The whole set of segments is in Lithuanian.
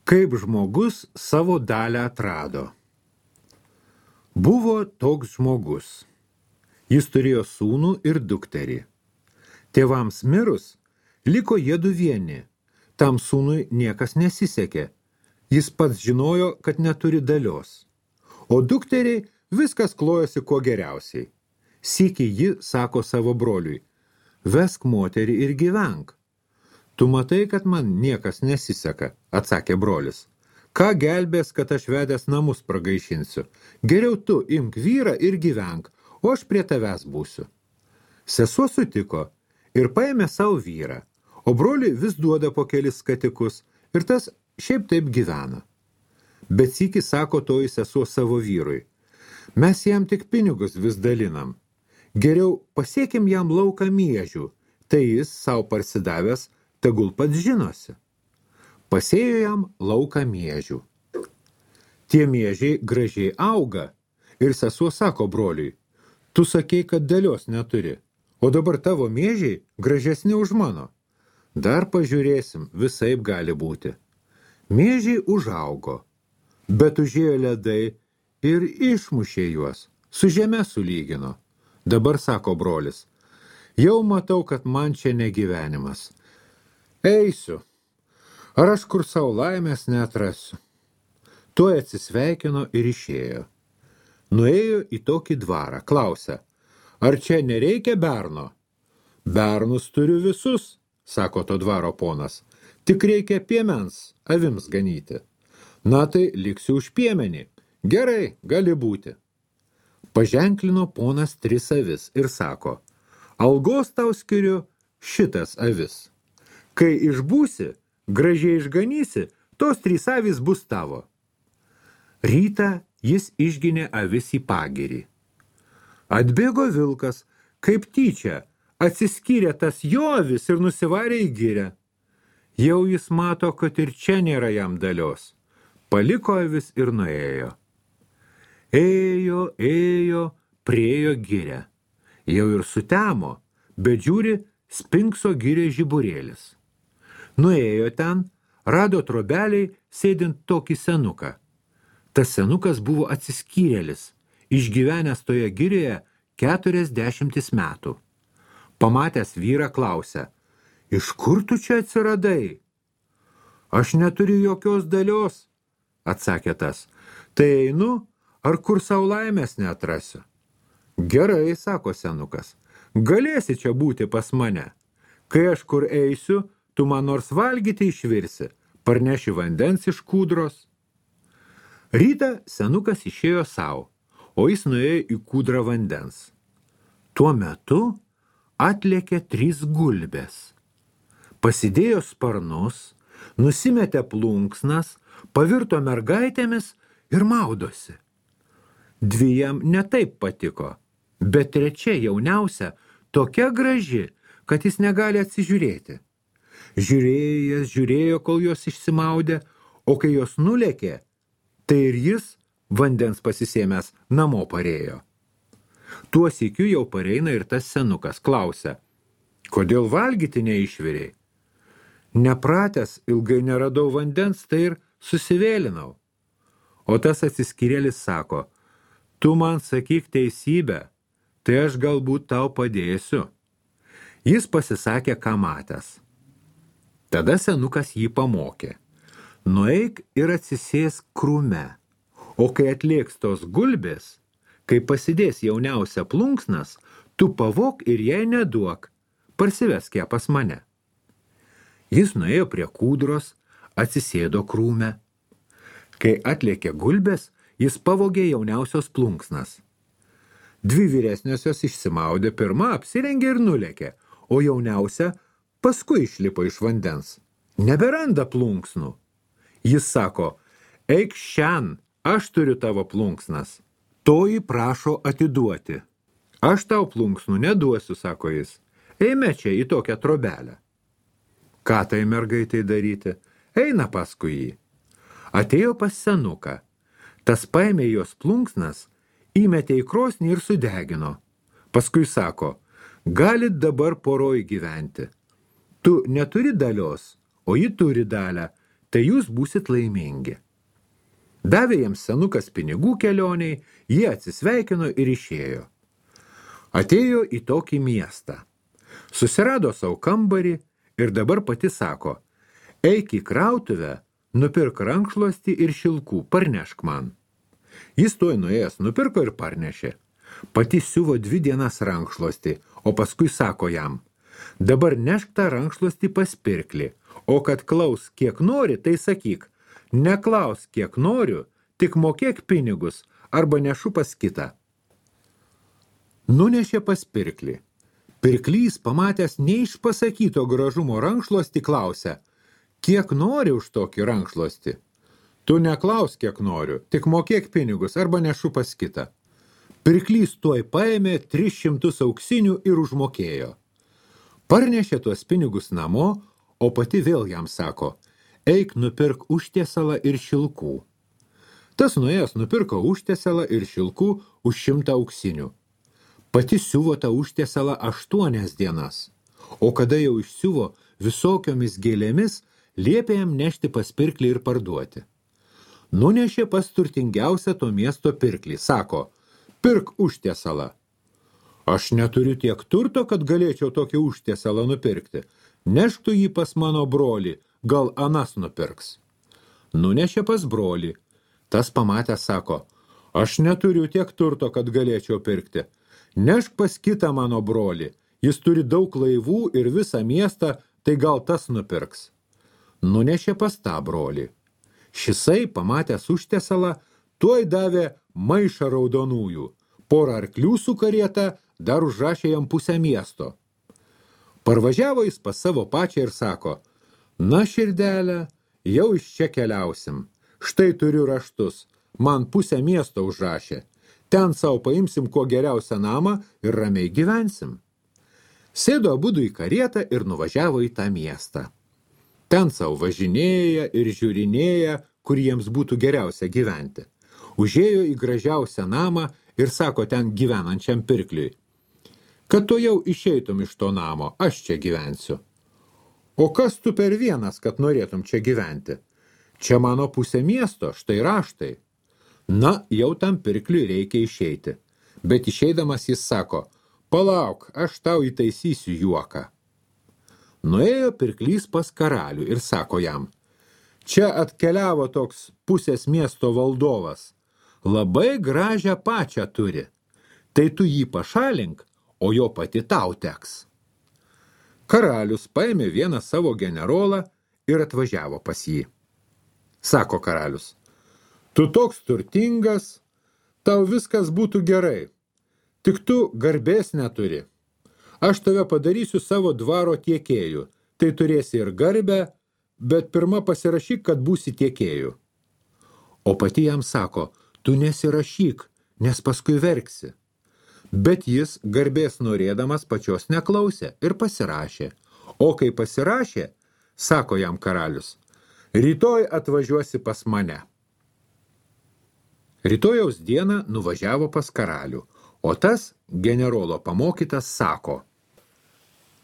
Kaip žmogus savo dalę atrado. Buvo toks žmogus. Jis turėjo sūnų ir dukterį. Tėvams mirus, liko jiedu vieni. Tam sūnui niekas nesisekė. Jis pats žinojo, kad neturi dalios. O dukteriai viskas klojosi kuo geriausiai. Sykį ji sako savo broliui: vesk moterį ir gyvenk. Tu matai, kad man niekas nesiseka, atsakė brolis. Ką gelbės, kad aš vedęs namus pragaišinsiu? Geriau tu imk vyrą ir gyvenk, o aš prie tavęs būsiu. Sesuo sutiko ir paėmė savo vyrą, o broliui vis duoda po kelis skatikus ir tas šiaip taip gyvena. Bet sykį sako toji sesuo savo vyrui: mes jam tik pinigus vis dalinam. Geriau pasiekim jam lauką miežių, tai jis savo parsidavęs tegul pats žinosi. Pasėjo jam lauką miežių. Tie miežiai gražiai auga ir sesuo sako broliui: tu sakei, kad dalios neturi, o dabar tavo miežiai gražesni už mano. Dar pažiūrėsim, visaip gali būti. Miežiai užaugo, bet užėjo ledai ir išmušė juos, su žeme sulygino. Dabar sako brolis: jau matau, kad man čia negyvenimas. Eisiu, ar aš kur savo laimės neatrasiu. Tuoj atsisveikino ir išėjo. Nuėjo į tokį dvarą, klausia: ar čia nereikia berno? Bernus turiu visus, sako to dvaro ponas, tik reikia piemens avims ganyti. Na tai liksiu už piemenį. Gerai, gali būti. Paženklino ponas 3 avis ir sako: algos tau skiriu šitas avis. Kai išbūsi, gražiai išganysi, tos 3 avys bus tavo. Rytą jis išginė avis į pagirį. Atbėgo vilkas, kaip tyčia, atsiskyrė tas jo avis ir nusivarė į girę. Jau jis mato, kad ir čia nėra jam dalios. Paliko avis ir nuėjo. Ėjo, priėjo girę. Jau ir sutemo, bet žiūri, spinkso girė žiburėlis. Nuėjo ten, rado trobeliai sėdint tokį senuką. Tas senukas buvo atsiskyrėlis, išgyvenęs toje girėje 40 metų. Pamatęs vyrą klausia: iš kur tu čia atsiradai? Aš neturiu jokios dalios, atsakė tas. Tai einu, ar kur savo laimės neatrasiu? Gerai, sako senukas, galėsi čia būti pas mane. Kai aš kur eisiu, tu man nors valgyti išvirsi, parneši vandens iš kūdros. Rytą senukas išėjo savo, o jis nuėjo į kūdrą vandens. Tuo metu atlėkė 3 gulbės. Pasidėjo sparnus, nusimetė plunksnas, pavirto mergaitėmis ir maudosi. 2 jam netaip patiko, bet 3 jauniausia tokia graži, kad jis negali atsižiūrėti. Žiūrėjo, kol jos išsimaudė, o kai jos nulėkė, tai ir jis, vandens pasisėmęs, namo parėjo. Tuo sykiu jau pareina ir tas senukas, klausia: kodėl valgyti neišvirei? Nepratęs, ilgai neradau vandens, tai ir susivėlinau. O tas atsiskyrėlis sako: tu man sakyk teisybę, tai aš galbūt tau padėsiu. Jis pasisakė, ką matęs. Tada senukas jį pamokė: nueik ir atsisėsk krūme, o kai atlėks tos gulbės, kai pasidės jauniausia plunksnas, tu pavok ir jai neduok, parsivesk ją pas mane. Jis nuėjo prie kūdros, atsisėdo krūme. Kai atlėkė gulbės, jis pavogė jauniausios plunksnas. 2 vyresniosios išsimaudė, pirma apsirengė ir nulėkė, o jauniausia paskui išlipo iš vandens. Neberanda plunksnų. Jis sako: eik šian, aš turiu tavo plunksnas. Toji prašo atiduoti. Aš tau plunksnų neduosiu, sako jis. Eime čia į tokią trobelę. Ką tai mergaitai daryti? Eina paskui jį. Atėjo pas senuką. Tas paėmė jos plunksnas, įmetė į krosnį ir sudegino. Paskui sako: galit dabar poroj gyventi. Tu neturi dalios, o ji turi dalę. tai jūs būsit laimingi. Davė jiems senukas pinigų kelioniai, jie atsisveikino ir išėjo. Atėjo į tokį miestą. Susirado savo kambarį ir dabar pati sako, eik į krautuvę, nupirk rankšluostį ir šilkų, parnešk man. Jis tuoj nuėjęs nupirko ir parnešė. Pati siuvo 2 dienas rankšluostį, o paskui sako jam, dabar nešk tą rankšluostį pas pirklį, o kad klaus kiek nori, tai sakyk, neklaus kiek noriu, tik mokėk pinigus arba nešu pas kitą. Nunešė pas pirklį. Pirklys, pamatęs neišpasakyto gražumo rankšluostį, klausia, kiek nori už tokį rankšluostį? Tu neklaus, kiek noriu, tik mokėk pinigus arba nešu pas kitą. Pirklys tuoj paėmė 300 auksinių ir užmokėjo. Parnešė tuos pinigus namo, o pati vėl jam sako, eik nupirk užtiesalą ir šilkų. Tas nuėjęs nupirko užtiesalą ir šilkų už 100 auksinių. Pati siuvo tą užtiesalą 8 dienas, o kada jau išsiuvo visokiomis gėlėmis, liepė jam nešti pas pirklį ir parduoti. Nunešė pas turtingiausią to miesto pirklį, sako, pirk užtiesalą. Aš neturiu tiek turto, kad galėčiau tokį užtiesalą nupirkti. Nešk tu jį pas mano brolį, gal anas nupirks. Nunešė pas brolį. Tas pamatęs sako, aš neturiu tiek turto, kad galėčiau pirkti. Nešk pas kitą mano brolį. Jis turi daug laivų ir visą miestą, tai gal tas nupirks. Nunešė pas tą brolį. Šisai, pamatęs užtiesalą, tuoj davė maišą raudonųjų. Porą arklių su karieta, dar užrašė jam pusę miesto. Parvažiavo jis pas savo pačią ir sako, na širdelė, jau iš čia keliausim. Štai turiu raštus, man pusę miesto užrašė. Ten savo paimsim kuo geriausią namą ir ramiai gyvensim. Sėdo abudu į karietą ir nuvažiavo į tą miestą. Ten savo važinėja ir žiūrinėja, kur jiems būtų geriausia gyventi. Užėjo į gražiausią namą ir sako ten gyvenančiam pirkliui, kad tu jau išeitum iš to namo, aš čia gyvensiu. O kas tu per vienas, kad norėtum čia gyventi? Čia mano pusė miesto, štai raštai. Na, jau tam pirkliui reikia išeiti. Bet išeidamas jis sako, palauk, aš tau įtaisysiu juoką. Nuėjo pirklys pas karalių ir sako jam, čia atkeliavo toks pusės miesto valdovas. Labai gražią pačią turi. Tai tu jį pašalink, o jo pati tau teks. Karalius paėmė vieną savo generolą ir atvažiavo pas jį. Sako karalius, tu toks turtingas, tau viskas būtų gerai, tik tu garbės neturi. Aš tave padarysiu savo dvaro tiekėju, tai turėsi ir garbę, bet pirma pasirašyk, kad būsi tiekėju. O pati jam sako, tu nesirašyk, nes paskui verksi. Bet jis garbės norėdamas pačios neklausė ir pasirašė. O kai pasirašė, sako jam karalius, rytoj atvažiuosi pas mane. Rytojaus dieną nuvažiavo pas karalių, o tas generolo pamokytas sako,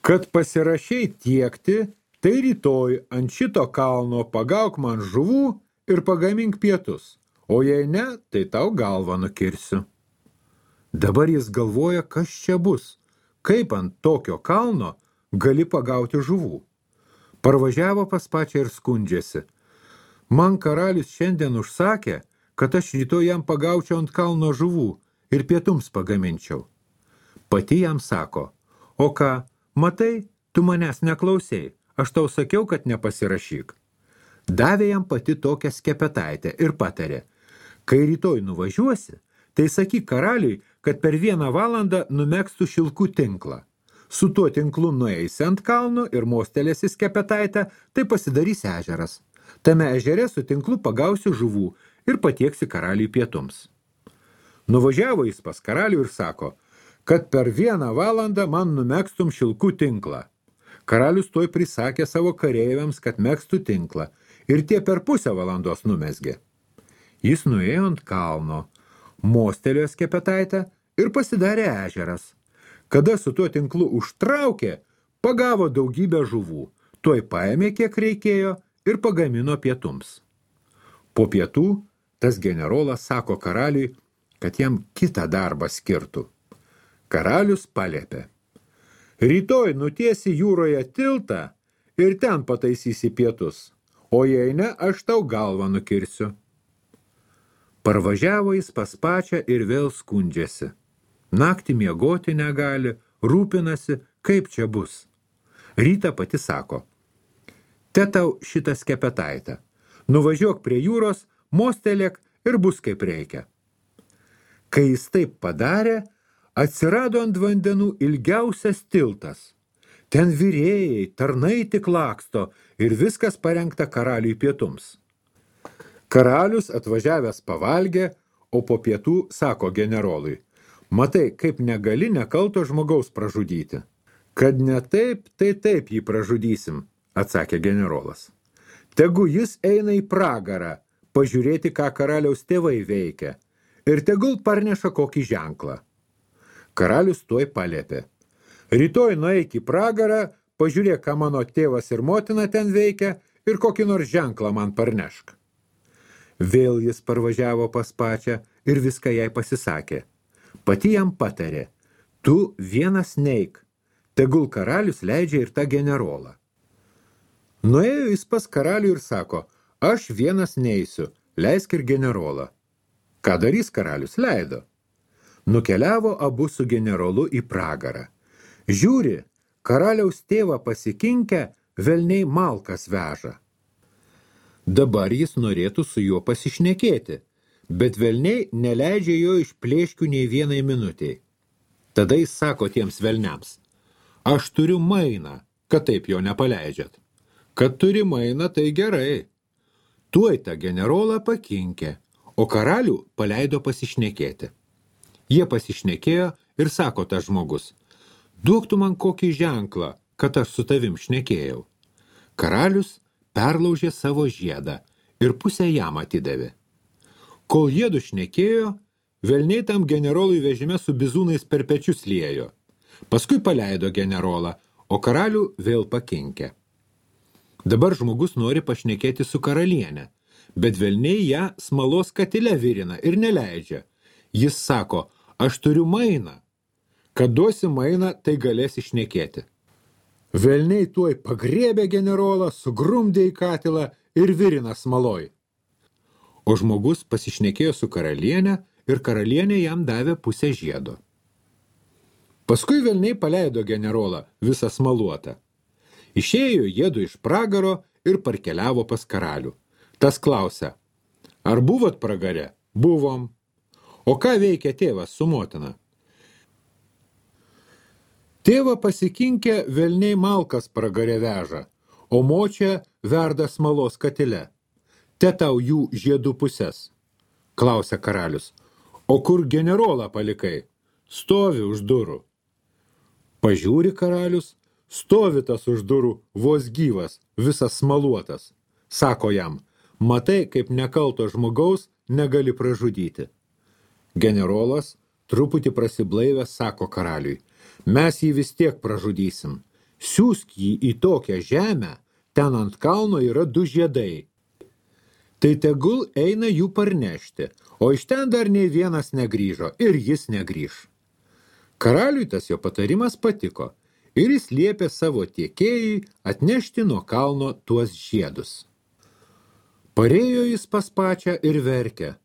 kad pasirašiai tiekti, tai rytoj ant šito kalno pagauk man žuvų ir pagamink pietus, o jei ne, tai tau galvą nukirsiu. Dabar jis galvoja, kas čia bus, kaip ant tokio kalno gali pagauti žuvų. Parvažiavo pas pačią ir skundžiasi. Man karalius šiandien užsakė, kad aš rytoj jam pagaučiau ant kalno žuvų ir pietums pagaminčiau. Pati jam sako, o ką, matai, tu manęs neklausei, aš tau sakiau, kad nepasirašyk. Davė jam pati tokią skepetaitę ir patarė, kai rytoj nuvažiuosi, tai sakyk karaliui, kad per 1 valandą numegstų šilkų tinklą. Su tuo tinklu nueisi ant kalno ir mostelėsi skepetaitę, tai pasidarys ežeras. Tame ežere su tinklu pagausi žuvų ir patieksi karaliui pietums. Nuvažiavo jis pas karalių ir sako, kad per 1 valandą man numegstum šilkų tinklą. Karalius tuoj prisakė savo kareiviams, kad megstų tinklą ir tie per pusę valandos numesgė. Jis nuėjo ant kalno, mostelėjo skepetaitę ir pasidarė ežeras. Kada su tuo tinklu užtraukė, pagavo daugybę žuvų, tuoj paėmė kiek reikėjo ir pagamino pietums. Po pietų tas generolas sako karaliui, kad jam kitą darbą skirtų. Karalius paliepė: rytoj nutiesi jūroje tiltą ir ten pataisysi pietus, o jei ne, aš tau galvą nukirsiu. Parvažiavo jis pas pačią ir vėl skundžiasi. Naktį miegoti negali, rūpinasi, kaip čia bus. Rytą pati sako: te tau šitą skepetaitę, nuvažiuok prie jūros, mostelėk ir bus kaip reikia. Kai jis taip padarė, atsirado ant vandenų ilgiausias tiltas. Ten virėjai, tarnai tik laksto ir viskas parengta karaliui pietums. Karalius atvažiavęs pavalgė, o po pietų sako generolui: matai, kaip negali nekalto žmogaus pražudyti. Kad ne taip, tai taip jį pražudysim, atsakė generolas. Tegu jis eina į pragarą, pažiūrėti, ką karaliaus tėvai veikia, ir tegul parneša kokį ženklą. Karalius tuoj paliepė: rytoj nueik į pragarą, pažiūrėk, ką mano tėvas ir motina ten veikia, ir kokį nors ženklą man parnešk. Vėl jis parvažiavo pas pačią ir viską jai pasisakė. Pati jam patarė: tu vienas neik, tegul karalius leidžia ir tą generolą. Nuėjo jis pas karalių ir sako: aš vienas neisiu, leisk ir generolą. Ką darys karalius? Leido. Nukeliavo abu su generolu į pragarą. Žiūri, karaliaus tėvą pasikinkę, velniai malkas veža. Dabar jis norėtų su juo pasišnekėti, bet velniai neleidžia jo iš plėškių nei vienai minutei. Tada jis sako tiems velniams: aš turiu mainą, kad taip jo nepaleidžiat. Kad turi mainą, tai gerai. Tuoj tą generolą pakinkė, o karalių paleido pasišnekėti. Jie pasišnekėjo ir sako tas žmogus: duok tu man kokį ženklą, kad aš su tavim šnekėjau. Karalius perlaužė savo žiedą ir pusę jam atidavė. Kol jiedu šnekėjo, velniai tam generolui vežime su bizūnais per pečius liejo. Paskui paleido generolą, o karalių vėl pakinkė. Dabar žmogus nori pašnekėti su karaliene, bet velniai ją smalos katile virina ir neleidžia. Jis sako: aš turiu mainą. Kad duosi mainą, tai galėsi šnekėti. Velniai tuoj pagriebė generolą, sugrumdė į katilą ir virina smaloj. O žmogus pasišnekėjo su karaliene ir karalienė jam davė pusę žiedo. Paskui velniai paleido generolą visą smaluotą. Išėjo jiedu iš pragaro ir parkeliavo pas karalių. Tas klausia: ar buvot pragare? Buvom. O ką veikia tėvas su motina? Tėvą pasikinkę velniai malkas pragare veža, o močia verda smalos katile. Te tau jų žiedų pusės. Klausia karalius: o kur generolą palikai? Stovi už durų. Pažiūri karalius, stovi tas už durų vos gyvas, visas smaluotas. Sako jam: matai, kaip nekalto žmogaus negali pražudyti. Generolas, truputį prasiblaivęs, sako karaliui: mes jį vis tiek pražudysim. Siųsk jį į tokią žemę, ten ant kalno yra 2 žiedai. Tai tegul eina jų parnešti, o iš ten dar nei vienas negrįžo ir jis negrįž. Karaliui tas jo patarimas patiko ir jis liepė savo tiekėjai atnešti nuo kalno tuos žiedus. Parėjo jis pas pačią ir verkė.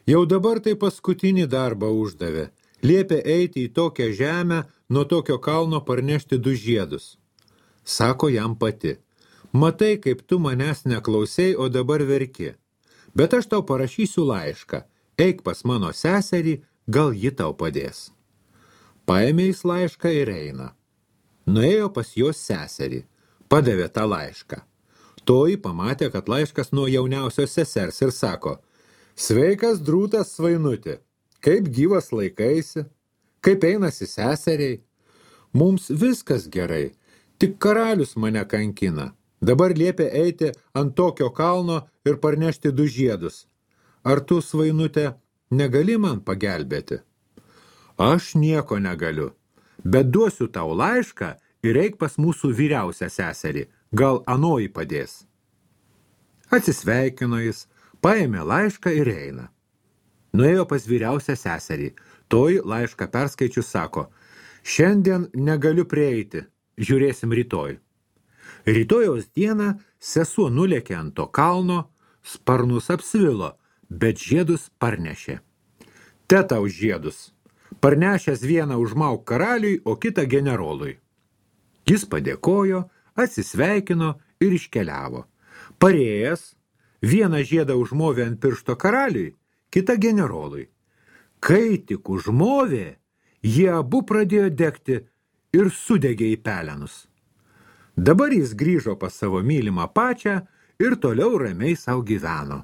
Jau dabar tai paskutinį darbą uždavė. Liepė eiti į tokią žemę, nuo tokio kalno parnešti 2 žiedus. Sako jam pati: matai, kaip tu manęs neklausei, o dabar verki. Bet aš tau parašysiu laišką. Eik pas mano seserį, gal ji tau padės. Paėmė jis laišką ir eina. Nuėjo pas jos seserį. Padavė tą laišką. Toji pamatė, kad laiškas nuo jauniausios sesers ir sako: sveikas drūtas svainuti, kaip gyvas laikaisi, kaip einasi seseriai. Mums viskas gerai, tik karalius mane kankina. Dabar liepia eiti ant tokio kalno ir parnešti 2 žiedus. Ar tu, svainute, negali man pagelbėti? Aš nieko negaliu, bet duosiu tau laišką ir eik pas mūsų vyriausią seserį, gal anoji padės. Atsisveikino jis, paėmė laišką ir eina. Nuėjo pas vyriausią seserį. Toji laišką perskaičius sako, šiandien negaliu prieiti, žiūrėsim rytoj. Rytojaus dieną sesuo nulėkė ant to kalno, sparnus apsvilo, bet žiedus parnešė. Te tau žiedus, parnešęs vieną užmauk karaliui, o kitą generolui. Jis padėkojo, atsisveikino ir iškeliavo. Parėjęs, vieną žiedą užmovė ant piršto karaliui, kitą generolui. Kai tik užmovė, jie abu pradėjo degti ir sudegė į pelenus. Dabar jis grįžo pas savo mylimą pačią ir toliau ramiai sau gyveno.